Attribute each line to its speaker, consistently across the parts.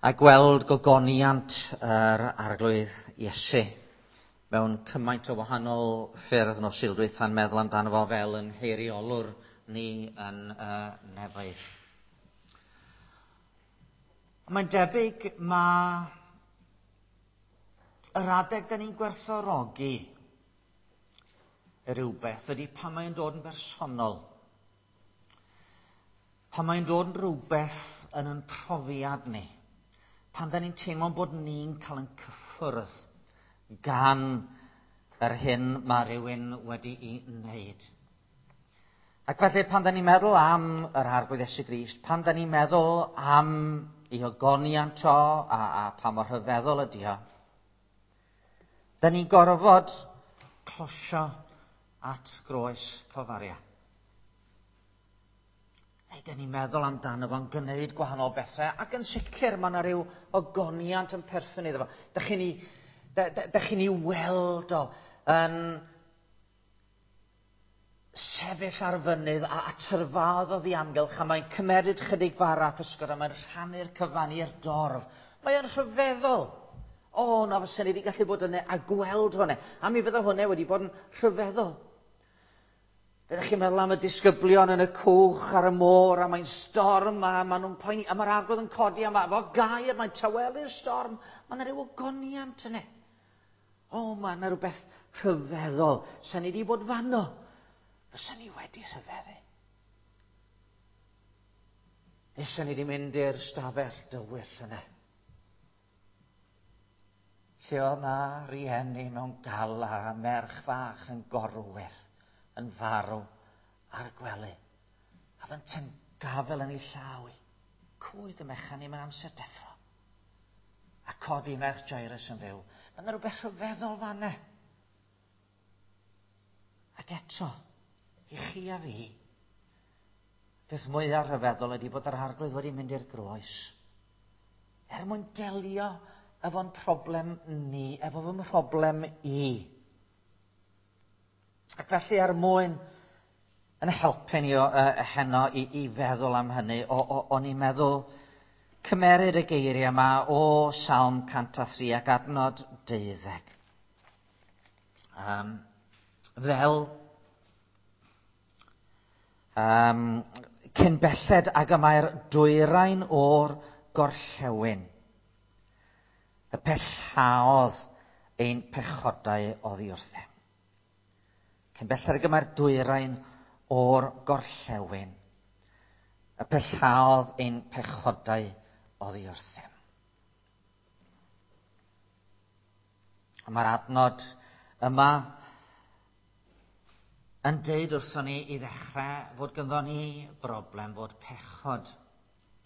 Speaker 1: A gweld gogoniant yr Arglwydd Iesu mewn cymaint o wahanol ffyrdd nos Sul dwytha'n meddwl amdano fo fel yn heiriolwr ni yn y nefoedd. Mae'n debyg mae yr adeg da ni'n gwerthfawrogi rhywbeth ydy pan mae'n dod yn bersonol. Pan mae'n dod yn rhywbeth yn yn profiad ni. Pan da ni'n teimlo bod ni'n cael yn cyffwrdd gan yr hyn mae rhywun wedi'i wneud. Ac felly pan da ni'n meddwl am yr Arglwydd Iesu Grist, pan da ni'n meddwl am ei ogoniant o a pa mor rhyfeddol ydi o, da ni'n gorfod closio at groes Calfaria. Neu dyn ni'n meddwl amdano fo'n gwneud gwahanol bethau, ac yn sicr mae yna ryw ogoniant yn perthyn iddo fo. Dych chi'n ei, dych chi'n ei weld o yn sefyll ar fynydd a tyrfaodd oddi amgylch, a mae'n cymeryd chydig fara a physgod, a mae'n rhannu'r cyfan i'r dorf. Mae'n rhyfeddol. O, na fysen ni wedi gallu bod yna a gweld hwnna. A mi fydda hwnna wedi bod yn rhyfeddol. Ydych chi'n meddwl am y disgyblion yn y cwch ar y môr, a mae'n storm, a maen nhw'n poeni, a mae'r Arglwydd yn codi, a mae efo gair, mae'n tawelu'r storm. Mae yna rhyw ogoniant yna. O, mae yna rhywbeth rhyfeddol. Sa'n ni wedi bod fanno, fysa ni wedi rhyfeddu. Neu ni wedi mynd i'r stafell dywyll yna. Lle oedd na rieni mewn galar a merch fach yn gorwedd yn farw ar y gwely. A fynte'n gafel yn ei llaw i. Cwyd y mechan i mewn amser deffro. A codi merch Jairus yn fyw. Mae yna rhywbeth rhyfeddol fanne. Ac eto, i chi a fi, beth mwyaf rhyfeddol ydy bod yr Arglwydd wedi mynd i'r groes. Er mwyn delio efo'n problem ni, efo fy mhroblem i. Ac felly er mwyn yn helpu ni o, heno i feddwl am hynny, o'n i'n meddwl cymeryd y geiriau yma o Salm 103 ac adnod 12. Fel cyn belled ag y mae'r dwyrain o'r gorllewin, y pellaodd ein pechodau oddi wrthym. Cyn belled ag y mae'r dwyrain o'r gorllewin, y pellaodd ein pechodau oddi wrthym. A mae'r adnod yma yn deud wrthon ni i ddechrau fod ganddo ni broblem, fod pechod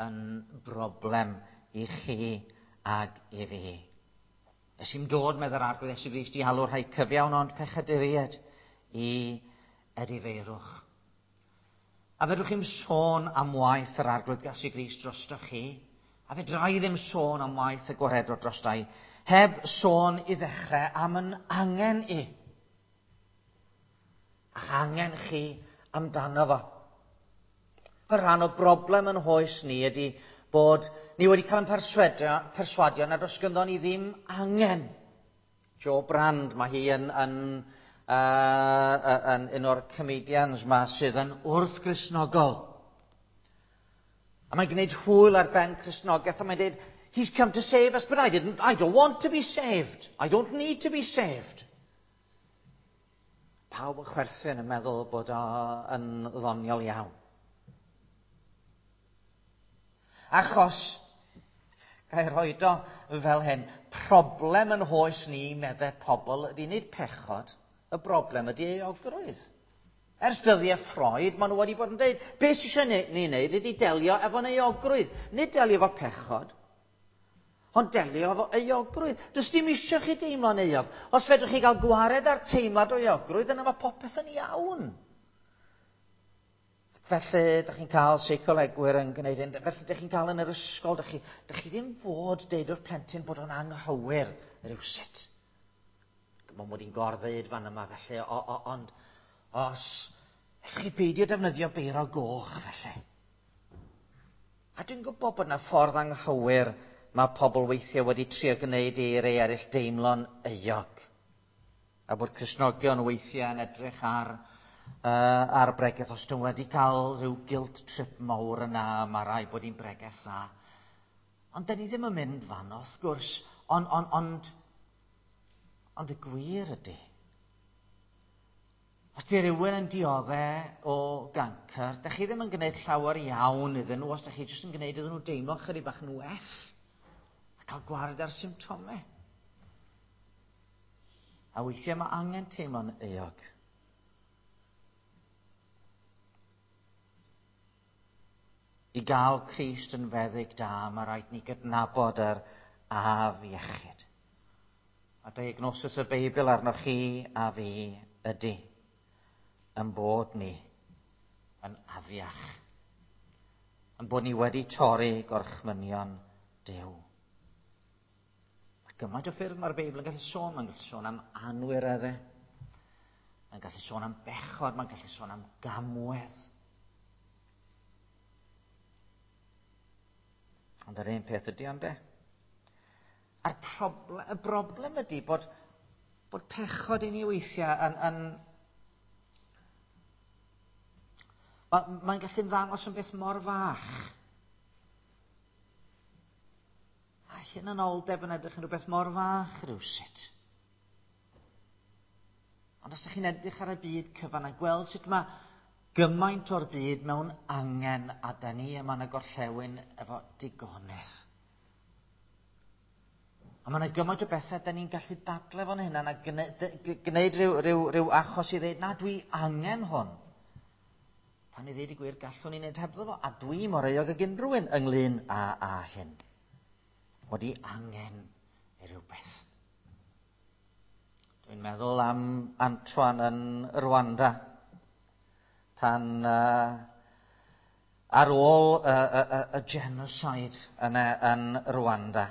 Speaker 1: yn broblem i chi ag i fi. Es i'n dod, meddai'r Arglwydd Iesu Grist, i alw rhai cyfiawn ond pechaduriaid i edifeirwch. A fedrwch chi'm sôn am waith yr Arglwydd Iesu Grist drostoch chi, a fedra i ddim sôn am waith y gwaredwr drosta i, heb sôn i ddechrau am yn angen i. A'ch angen chi amdano fo. Y rhan o broblem yn hoes ni ydy bod ni wedi cael yn perswadio nad oes ganddo ni ddim angen. Jo Brand, mae hi yn un o'r comedians ma sydd yn wrth-Gristnogol. A mae'n gwneud hwyl ar ben Cristnogaeth, a mae'n dweud, he's come to save us, but I didn't, I don't want to be saved. I don't need to be saved. Pawb yn chwerthin yn meddwl bod o yn ddoniol iawn. Achos, ga i roed o fel hyn, problem yn hoes ni, meddai pobl, ydy nid pechod, y broblem ydy euogrwydd. Ers dyddiau Freud, maen nhw wedi bod yn dweud, beth sydd eisiau ni wneud ydy delio efo'n euogrwydd. Nid delio efo pechod, ond delio efo euogrwydd. Does dim eisiau chi deimlo'n euog. Os fedrwch chi gael gwared ar teimlad o euogrwydd, yna mae popeth yn iawn. Felly, dych chi'n cael seicolegwyr yn gwneud hyn. Felly, dych chi'n cael yn yr ysgol, dych chi ddim fod deud wrth plentyn bod o'n anghywir rhywsut. Mae'n mod i'n gor-ddeud fan yma, felly, ond os ellwch chi beidio defnyddio beiro goch, felly. A dwi'n gwybod bod yna ffordd anghywir mae pobl weithiau wedi trio gwneud i rei eraill deimlo'n euog. A bod Cristnogion weithiau yn edrych ar bregeth, os dyn wedi cael rhyw guilt trip mawr yna, mae rhaid bod hi'n bregeth dda. Ond dyn ni ddim yn mynd fan, wrth gwrs, ond y gwir ydy. Os di rhywun yn dioddef o gancr, da chi ddim yn gwneud llawer iawn iddyn nhw, os da chi jyst yn gwneud iddyn nhw deimlo chydig bach yn well a cael gwared ar symptomau. A weithiau mae angen teimlo'n euog. I gael Crist yn feddyg da, mae rhaid ni gydnabod yr afiechyd. A diagnosis y Beibl arnoch chi a fi ydy yn bod ni yn afiach. Yn bod ni wedi torri gorchmynion Duw. Mae gymaint o ffyrdd mae'r Beibl yn gallu sôn. Mae'n gallu sôn am anwireddau. Mae'n gallu sôn am bechod. Mae'n gallu sôn am gamwedd. Ond yr un peth ydy ond e. A'r y broblem ydy bod pechod i ni weithiau yn mae'n gallu ymddangos yn beth mor fach. A hunanoldeb yn edrych yn rhywbeth mor fach rhywsut. Ond os ydych chi'n edrych ar y byd cyfan a gweld sut mae gymaint o'r byd mewn angen a da ni yma yn y gorllewin efo digonedd. A mae yna gymaint o bethau da ni'n gallu dadle fo'n hynna a gwneud rhyw achos i ddeud, na, dwi angen hwn. Pan i ddeud y gwir, gallwn ni wneud hebddo fo, a dwi mor euog ag unrhyw un ynglyn â hyn. Bod i angen i rhywbeth. Dwi'n meddwl am Antoine yn Rwanda, pan ar ôl y genocide yn Rwanda,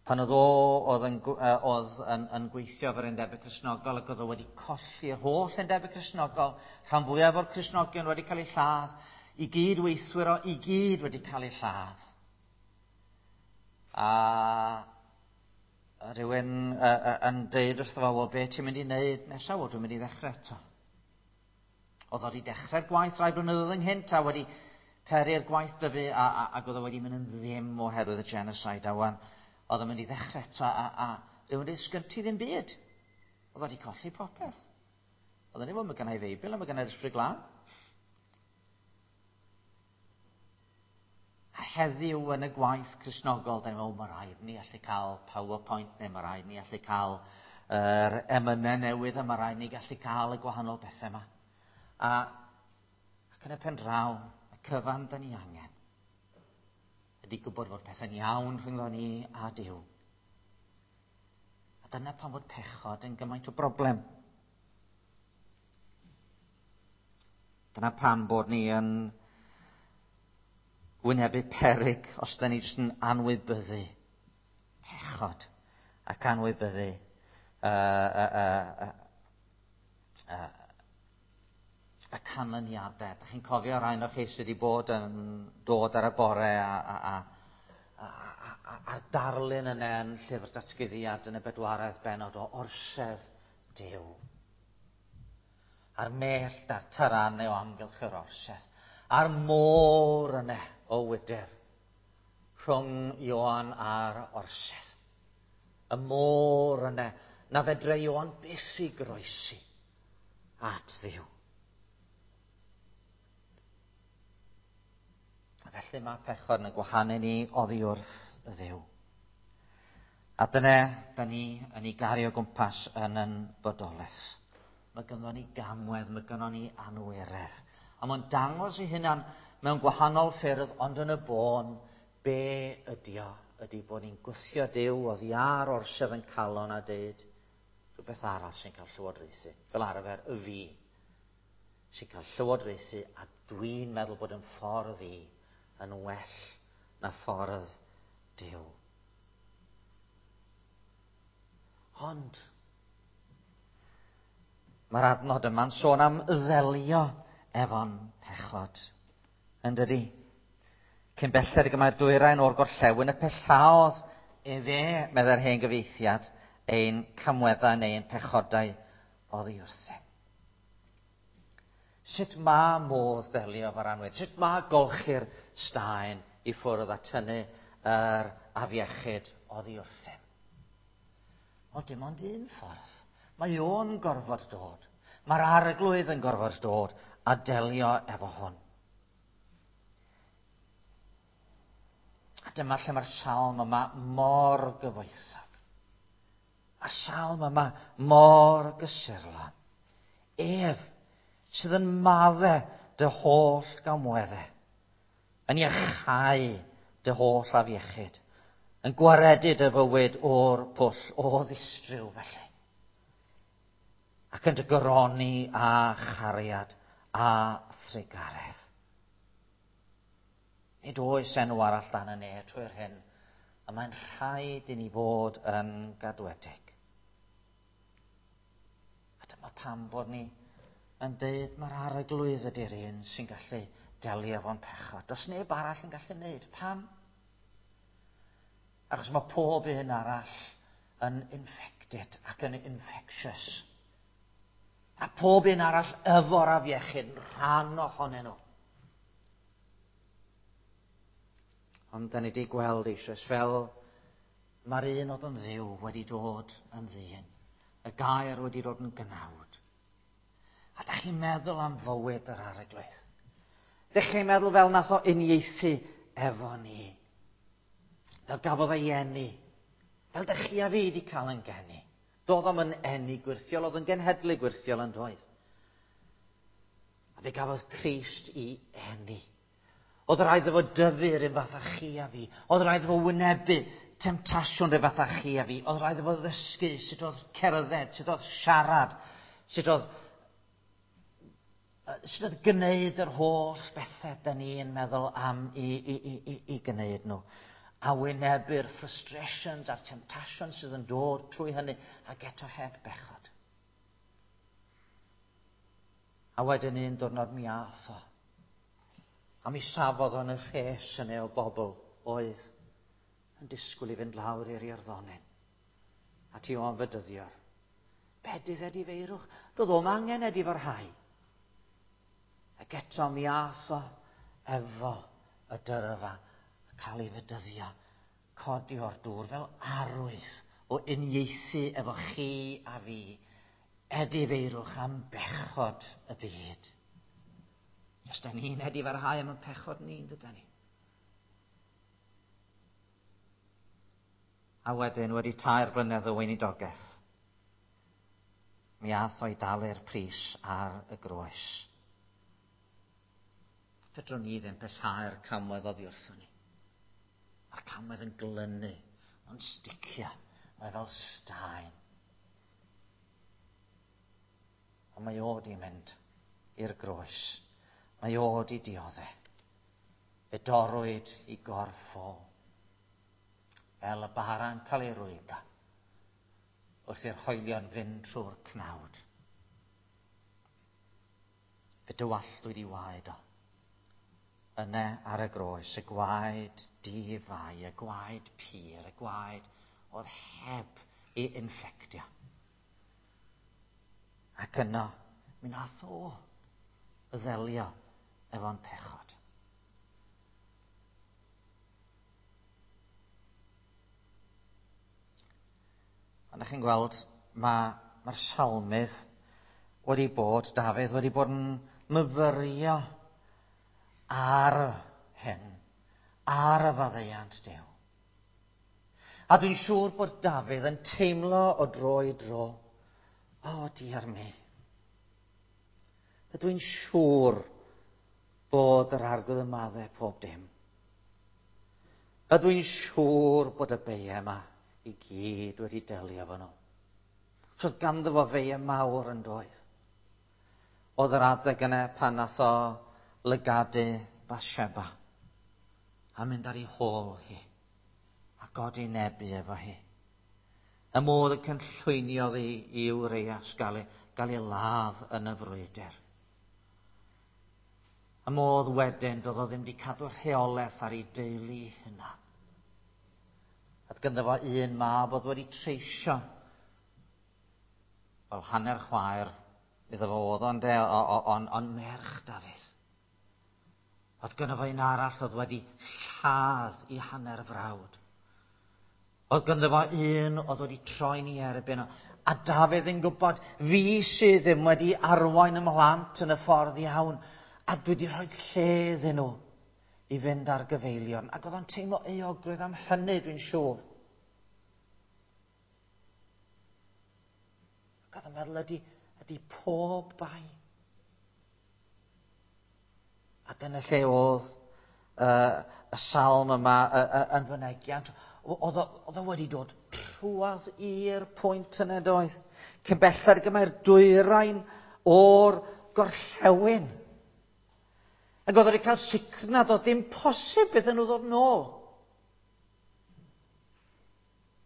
Speaker 1: pan oedd o yn gweithio efo'r Undebau Cristnogol ac oedd o wedi colli'r holl Undebau Cristnogol, rhan fwyaf o'r Cristnogion wedi cael eu lladd, i gyd weithwyr o i gyd wedi cael eu lladd. A rhywun yn deud wrtho fo, wel, be ti'n mynd i wneud nesaf? Wel, dwi'n mynd i ddechrau eto. Oedd o wedi dechrau'r gwaith rai blynyddoedd ynghynt a wedi peri'r gwaith dyfu ac oedd o wedi mynd yn ddim oherwydd y genocide a wan. Oedd o'n mynd i ddechrau eto a rhywun wedi sgyn ti ddim byd. Oedd wedi colli popeth. Oedd o'n ei mae gennau Feibl a mae gennau'r Ysbryd Glân. A heddiw yn y gwaith Cristnogol, da ni'n meddwl, mae rhaid ni allu cael PowerPoint neu mae rhaid ni allu cael yr emynau newydd a mae rhaid ni gallu cael y gwahanol bethau yma. Ac yn y pen draw, y cyfan da ni angen ydy gwybod fod pethau'n iawn rhyngddo ni a Duw. A dyna pam fod pechod yn gymaint o broblem. Dyna pam bod ni yn wynebu peryg os da ni jyst yn anwybyddu pechod ac anwybyddu y canlyniadau. Da chi'n cofio rhai o'r chi sydd wedi bod yn dod ar y bore a'r darlun yna yn llyfr datguddiad yn y bedwaredd bennod o orsedd Duw. A'r mellt a'r taranau o amgylch yr orsedd. A'r môr yna o wydr rhwng Ioan a'r orsedd. Y môr yna na fedre Ioan byth i groesi at Dduw. A felly mae pechod yn gwahanu ni oddi wrth y Dduw. A dyna, da ni yn ei gario gwmpas yn yn bodolaeth. Mae ganddo ni gamwedd, mae ganddo ni anwiredd. A mae'n dangos ei hunan mewn gwahanol ffyrdd, ond yn y bôn, be ydi o? Ydi bod ni'n gwthio Duw oddi ar orsedd yn calon a deud rhywbeth arall sy'n cael llywodraethu. Fel arfer, y fi sy'n cael llywodraethu, a dwi'n meddwl bod yn ffordd i yn well na ffordd Duw. Ond mae'r adnod yma'n sôn am ddelio efo'n pechod, yn dydi? Cyn belled ag y mae'r dwyrain o'r gorllewin y pellaodd Efe, meddai'r hen gyfieithiad, ein camweddau neu ein pechodau oddi wrthym. Sut mae modd delio efo'r anwedd? Sut mae golchi'r staen i ffwrdd a tynnu yr afiechyd oddi wrthym? O, dim ond un ffordd. Mae o'n gorfod dod. Mae'r arglwydd yn gorfod dod a delio efo hwn. A dyma lle mae'r salm yma mor gyfoethog. A'r salm yma mor gysurlon. Ef sydd yn madde dy holl gamweddau, yn iachau dy holl afiechyd, yn gwaredu dy fywyd o'r pwll o ddistryw felly, ac yn dy goroni â chariad a thrugaredd. Nid oes enw arall dan y ne trwy'r hyn, y mae'n rhaid i ni fod yn gadwedig. A dyma pam bod ni yn deud mae'r arglwydd ydy'r un sy'n gallu delio efo'n pechod. Does neb arall yn gallu neud. Pam? Achos mae pob un arall yn infected ac yn infectious. A pob un arall efo'r afiechyd yn rhan ohonyn nhw. Ond da ni wedi gweld eisoes fel mae'r un oedd yn ddiw wedi dod yn ddyn. Y gair wedi dod yn gnawd. A da chi'n meddwl am fywyd yr arglwydd. Dych chi'n meddwl fel nath o uniaethu efo ni. Fel gafodd ei eni. Fel dych chi a fi wedi cael yn geni. Doedd o'm yn eni gwyrthiol, oedd yn genhedlu gwyrthiol yn doedd. A fe gafodd Crist i eni. Oedd rhaid iddo fo dyfu yr un fath â chi a fi. Oedd rhaid iddo fo wynebu temtasiwn rhyw fath â chi a fi. Oedd rhaid iddo fo ddysgu sut oedd cerdded, sut oedd siarad, sut oedd sut oedd gwneud yr holl bethau da ni'n meddwl am i, i, i, i, i gwneud nhw. A wynebu'r frustrations a'r temptations sydd yn dod trwy hynny ac eto heb bechod. A wedyn un diwrnod mi ath o. A mi safodd o'n y rhes yna o bobl oedd yn disgwyl i fynd lawr i'r Iorddonen. A ti o'n fedyddiwr. Bedydd edifeirwch. Doedd o'm angen edifarhau. Ac eto mi ath o efo y dyrfa a cael ei fedyddio, codi o'r dŵr fel arwydd o uniaethu efo chi a fi, edifeirwch am bechod y byd. Os da ni'n edifarhau am y pechod ni'n dyda ni. A wedyn, wedi 3 blynedd o weinidogaeth, mi ath o i dalu'r pris ar y groes. Fedrwn ni ddim pellhau'r camwedd oddi wrthon ni. Mae'r camwedd yn glynu, mae'n sticio, mae fel staen. Ond mae o di mynd i'r groes. Mae o di diodde. Fe dorrwyd i gorff o. Fel y bara'n cael ei rwygo wrth i'r hoelion fynd trwy'r cnawd. Fe dywalltwyd i waed o. Yna ar y groes, y gwaed di-fai, y gwaed pur, y gwaed oedd heb ei infectio. Ac yno, mi nath o ddelio efo'n pechod. Ond ydych chi'n gweld, mae'r salmydd wedi bod, Dafydd wedi bod yn myfyrio ar hyn, ar y faddeuant Duw. A dwi'n siŵr bod Dafydd yn teimlo o dro i dro, o, diar mi. Ydw i'n siŵr bod yr arglwydd yn maddau pob dim. Ydw i'n siŵr bod y beiau yma i gyd wedi delio efo nhw. Achos oedd ganddo fo feiau mawr yn doedd. Oedd yr adeg yna pan nath o lygadu Bathsheba a mynd ar ei hôl hi a godi nebu efo hi. Y modd y cynllwyniodd i i Urias gael ei, gael ei ladd yn y frwydr. Y modd wedyn doedd o ddim wedi cadw rheolaeth ar ei deulu hynna. A Oedd gynddo fo un mab oedd wedi treisio. Wel, hanner chwaer iddo fo oedd o'n de, on merch Dafydd. Oedd gynno fo un arall oedd wedi lladd i hanner frawd. Oedd gynno fo un oedd wedi troi'n ei erbyn o. A Dafydd yn gwybod, fi sydd ddim wedi arwain y mhlant yn y ffordd iawn, a dwi wedi rhoi lle iddyn nhw i fynd ar gyfeilion. Ac oedd o'n teimlo euogrwydd am hynny, dwi'n siŵr. Ac oedd o'n meddwl, ydy, ydy pob bai. A dyna lle oedd y salm yma yn fynegiant. Oedd o wedi dod trwadd i'r pwynt yna, doedd? Cyn belled ag y mae'r dwyrain o'r gorllewin. Ac oedd wedi cael sicr nad oedd dim posib iddyn nhw ddod nôl.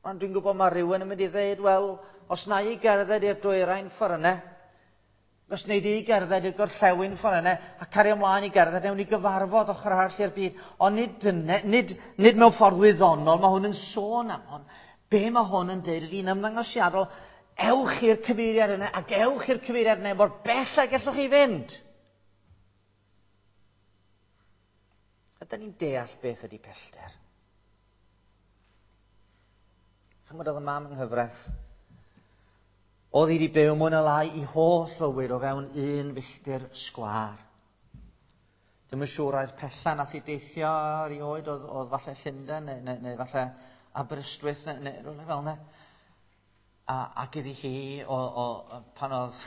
Speaker 1: Ond dwi'n gwybod mae rhywun yn mynd i ddweud, wel, os na i gerdded i'r dwyrain ffordd yna, os wnei di gerdded i'r gorllewin ffordd yna, a cario ymlaen i gerdded, newn ni gyfarfod ochr arall i'r byd. Ond nid, dyne, nid, nid mewn ffordd wyddonol, mae hwn yn sôn am hwn. Be mae hwn yn deud ydy'n ymddangosiadol, ewch i'r cyfeiriad yna, ac ewch i'r cyfeiriad yna, mor bell ag gallwch chi fynd. Ydyn ni'n deall beth ydy pellter? Chymod oedd y mam yng nghyfraith. Oedd hi wedi byw mwy na lai i holl fywyd o fewn un filltir sgwâr. Dwi'm yn siŵr ai'r pella nath i deithio erioed oedd, oedd falle Llundain neu, neu, neu falle Aberystwyth neu, neu rhywle fel yna. A, ac iddi hi, o, o, pan oedd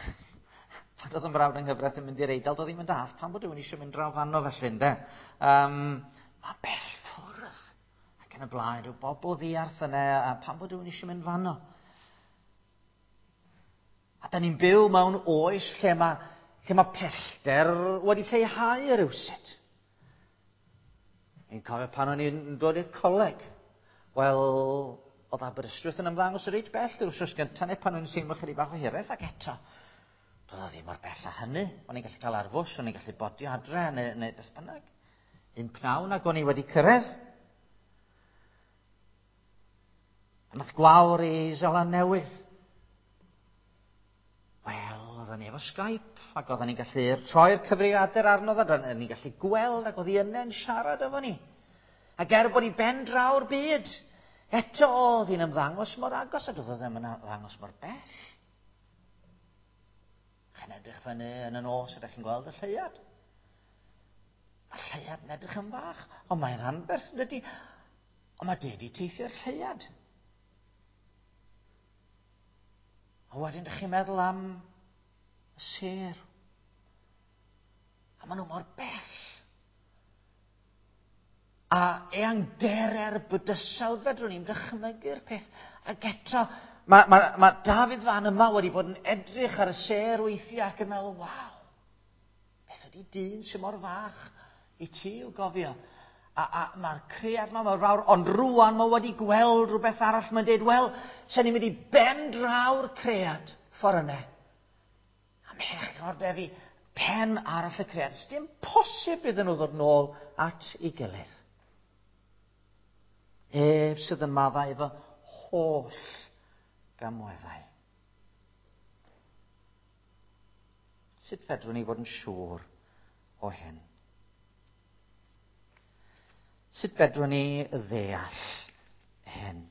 Speaker 1: pan oedd y mrawd yng nghyfraith yn mynd i'r Eidal, doedd ddim yn dall pam bod rhywun eisiau mynd draw fanno felly, ynde. Um, mae bell ffwrdd. Ac yn y blaen, rhyw bobl ddiarth yna, a pam bod rhywun eisiau mynd fanno. A da ni'n byw mewn oes lle mae, lle mae pellter wedi lleihau rhywsut. Ni'n cofio pan o'n i'n dod i'r coleg. Wel, oedd Aberystwyth yn ymddangos reit bell yr wythnos gyntaf neu pan o'n i'n teimlo chydig bach o hiraeth ac eto. Doedd o ddim mor bell â hynny. O'n i'n gallu cael ar fws, o'n i'n gallu bodio adre neu, neu beth bynnag. Un pnawn ac o'n i wedi cyrraedd. A nath gwawr i Seland Newydd. Wel, oedden ni efo Skype, ac oedden ni'n gallu troi'r cyfrifiadur arno fo, oedden ni'n gallu gweld, ac oedd hi yna'n siarad efo ni. Ac er bod hi ben draw'r byd, eto oedd hi'n ymddangos mor agos, a doedd o ddim yn ymddangos mor bell. Chi'n edrych fyny yn y nos, ydych chi'n gweld y lleuad. Mae lleuad yn edrych yn fach, ond mae'n anferth, yn dydy. Ond mae dedi teithio'r lleuad. A wedyn dych chi'n meddwl am y sêr. A maen nhw mor bell. A eangdere'r bydysawd, fedrwn ni'n dychmygu'r peth. Ac eto, mae, mae, mae Dafydd fan yma wedi bod yn edrych ar y sêr weithiau ac yn meddwl, waw, beth ydy dyn sy'n mor fach i ti i'w gofio? A, a mae'r cread yma mor fawr, ond rwan mae wedi gweld rhywbeth arall. Mae'n dweud, wel, sen ni'n mynd i ben draw'r cread ffordd yna. A mhechor de fi, pen arall y cread. Dim posib iddyn nhw ddod nôl at ei gilydd. Ef sydd yn maddau efo holl gamweddau. Sut fedrwn ni fod yn siŵr o hyn? Sut fedrwn ni ddeall hyn?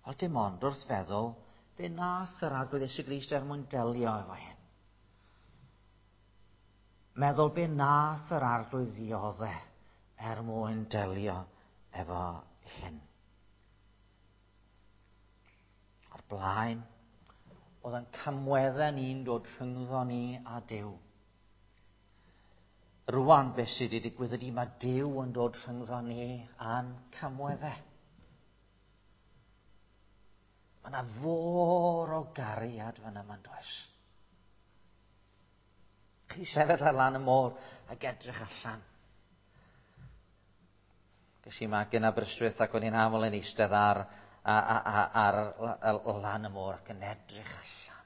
Speaker 1: Wel, dim ond wrth feddwl be nath yr Arglwydd Iesu Grist er mwyn delio efo hyn. Meddwl be nath yr Arglwydd ddiodde er mwyn delio efo hyn. O'r blaen, oedd yn camweddau ni'n dod rhyngddo ni a Duw. Rwan, beth sydd wedi digwydd ydy mae Duw yn dod rhyngddo ni a'n camweddau. Mae yna fôr o gariad fan yma, does? Chi sefyll ar lan y môr ac edrych allan. Ges i magu yn Aberystwyth ac o'n i'n aml yn eistedd ar, ar, ar, ar, ar lan y môr ac yn edrych allan.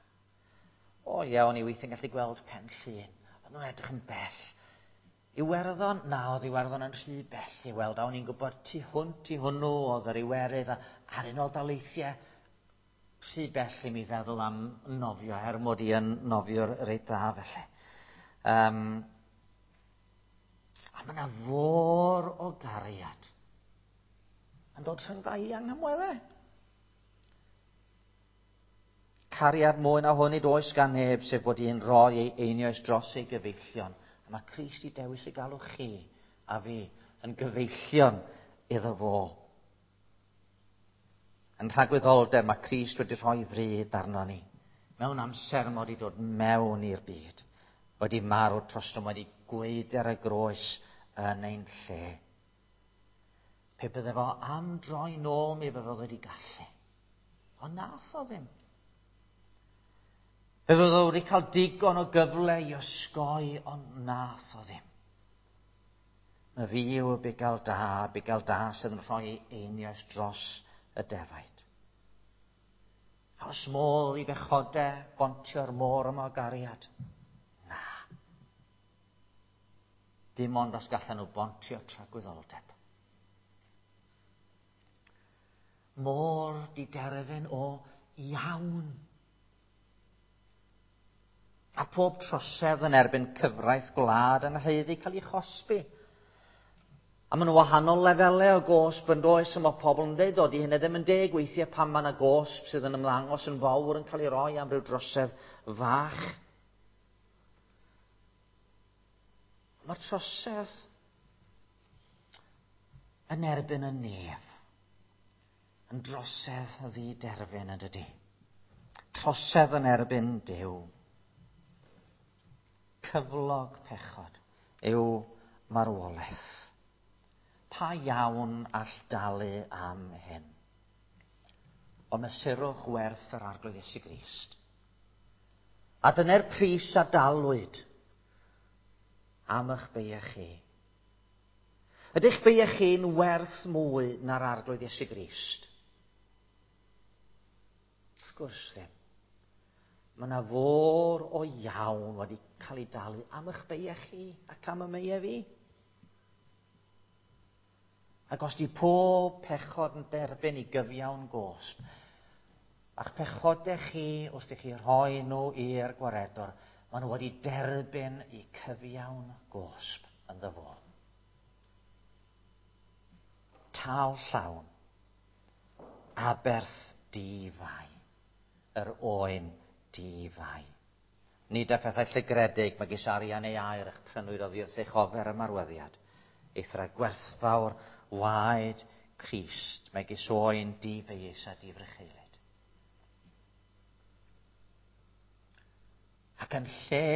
Speaker 1: O ie, o'n i weithiau'n gallu gweld Pen Llŷn. Ond nhw'n edrych yn bell. Iwerddon, na, oedd Iwerddon yn rhy bell i weld, a o'n i'n gwybod tu hwnt i hwnnw oedd yr Iwerydd a'r Unol Daleithiau. Rhy bell i mi feddwl am nofio, er mod i yn nofiwr reit dda felly. A mae yna fôr o gariad yn dod rhyngdda i anghamweddau. Cariad mwy na hwn nid oes gan neb, sef bod un roi ei einioes dros ei gyfeillion. A mae Crist i dewis i galw chi a fi yn gyfeillion iddo fo. Yn rhagwyddoldeb mae Crist wedi rhoi fryd arno ni. Mewn amser mae wedi dod mewn i'r byd. Wedi marw trostom, wedi gweud ar y groes yn ein lle. Pe bydde fo am droi nôl mi fydde wedi gallu. Ond nath o ddim. Fe fydde wedi cael digon o gyfle i osgoi, ond nath o ddim. Mae fi yw y bugail da, bugail da sydd yn rhoi einioes dros y defaid. A oes modd i bechodau bontio'r môr yma o gariad? Na. Dim ond os gallan nhw bontio tragwyddoldeb. Môr diderfyn o iawn. A pob trosedd yn erbyn cyfraith gwlad yn haeddu cael ei chosbi. A maen nhw wahanol lefelau o gosb yn does, a mae pobl yn dweud, o, di hynny ddim yn deg weithiau pan mae yna gosb sydd yn ymddangos yn fawr yn cael ei roi am ryw drosedd fach. Mae'r trosedd yn erbyn y nef yn drosedd ddiderfyn yn dydy. Trosedd yn erbyn Duw. Cyflog pechod yw marwolaeth. Pa iawn all dalu am hyn? Ond mesurwch werth yr Arglwydd Iesu Grist. A dyna'r pris a dalwyd am eich beiau chi. Ydych beiau chi'n werth mwy na'r Arglwydd Iesu Grist? Wrth gwrs ddim. Mae yna fôr o iawn wedi cael ei dalu am eich beiau chi ac am y meiau fi. Ac os di pob pechod yn derbyn i gyfiawn gosb, a'ch pechodau chi wrth i chi rhoi nhw i'r gwaredwr, maen nhw wedi derbyn i cyfiawn gosb yn fo. Tal llawn, aberth di-fai, yr oen di-fai. Nid â phethau llygredig, megis arian neu aur eich prynwyd oddi wrth eich ofer ymarweddiad. Eithra gwerthfawr waed Crist, megis oen di-feius a difrycheulyd. Ac yn lle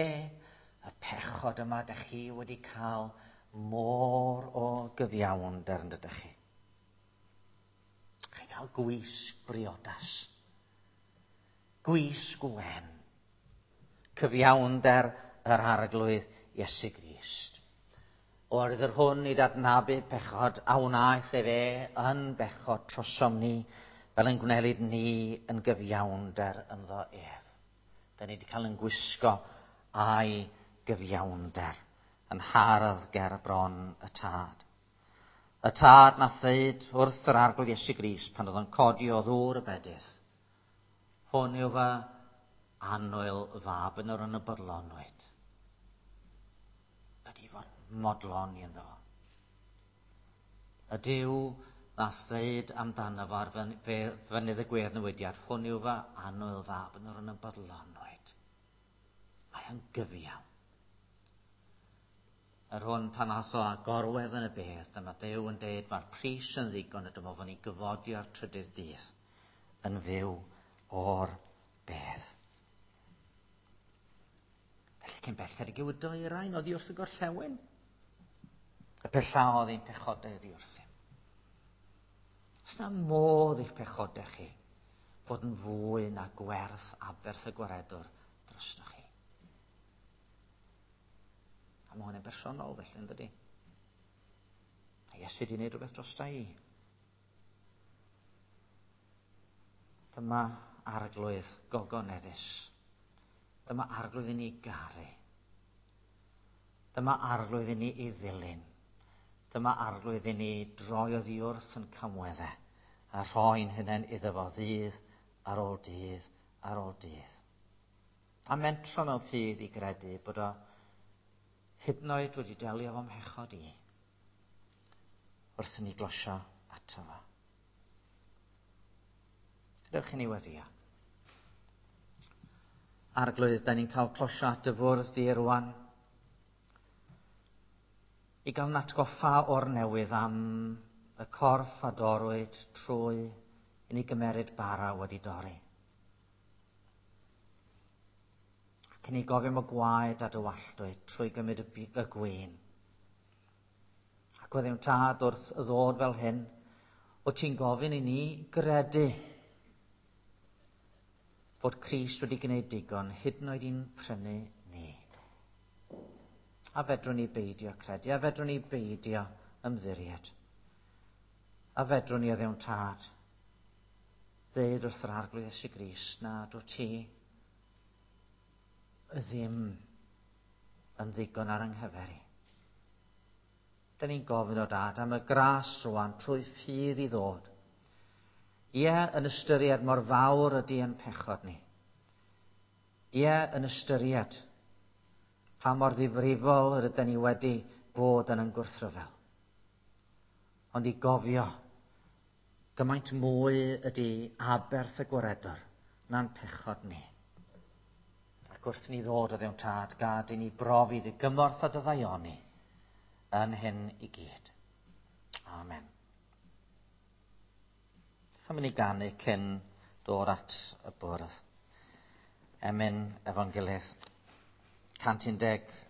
Speaker 1: y pechod yma, dych chi wedi cael môr o gyfiawnder yn dydych chi. Chi'n cael gwisg briodas. Gwisg wen. Cyfiawnder yr Arglwydd Iesu Grist. Oherwydd yr hwn i adnabu pechod a wnaeth ef e yn bechod trosom ni, fel yn gwnelid ni yn gyfiawnder ynddo ef. Da ni wedi cael yn gwisgo a'i gyfiawnder yn hardd ger bron y tad. Y tad nath ddeud wrth yr Arglwydd Iesu Grist pan oedd o'n codi o ddŵr y bedydd. Hwn yw fy annwyl fab yn yr yn y bodlonwyd. Ydy fod modloni ynddo fo. Y Duw nath ddeud amdano fo ar fynydd y gwedd newidiad, hwn yw fy annwyl fab yn yr yn y bodlonwyd. Mae o'n gyfiawn. Yr hwn pan ath o a gorwedd yn y bedd, dyma Duw yn deud mae'r pris yn ddigon y dyma fo'n ei gyfodi o'r trydydd dydd yn fyw o'r bedd. Felly cyn belled ag yw y dwyrain oddi wrth y gorllewin. Y pellaodd ein pechodau oddi wrthym. Oes na modd i'ch pechodau chi fod yn fwy na gwerth aberth y gwaredwr drostoch chi. A mae hwn yn bersonol felly, yn dydy? A Iesu wedi gwneud rhywbeth drosta i. Dyma Arglwydd gogoneddus. Dyma Arglwydd i ni garu. Dyma Arglwydd i ni i ddilyn. Dyma Arglwydd i ni droi oddi wrth yn camweddau a rhoi'n hunain iddo fo ddydd ar ôl dydd ar ôl dydd. A mentro mewn ffydd i gredu bod o hyd yn oed wedi delio efo mhechod i wrth i ni glosio ato fo. Gadewch i ni weddio. Arglwydd, da ni'n cael closio at dy fwrdd di rwan. I gael natgoffa o'r newydd am y corff a dorwyd trwy i ni gymeryd bara wedi dorri. Ac i ni gofio am y gwaed a dywalltwyd trwy gymryd y, y gwin. Ac weddiwn Tad wrth ddod fel hyn, o ti'n gofyn i ni gredu fod Crist wedi gwneud digon, hyd yn oed i'n prynu ni. A fedrwn ni beidio credu, a fedrwn ni beidio ymddiried. A fedrwn ni o ddewn Tad ddeud wrth yr Arglwydd Iesu Grist na dwi ti ddim yn ddigon ar yng nghyfer i. Dyn ni'n gofyn o Dad am y gras rwan trwy ffydd i ddod. Ie, yn ystyried mor fawr ydy yn pechod ni. Ie, yn ystyried pa mor ddifrifol yr ydyn ni wedi bod yn yn gwrthryfel. Ond i gofio gymaint mwy ydy aberth y gwaredwr na'n pechod ni. Ac wrth ni ddod o ddewn Tad, gad i ni brofi dy gymorth a dy ddaioni yn hyn i gyd. Amen. Beth am i ni ganu cyn dod at y bwrdd? Emyn efo'n gilydd. 116.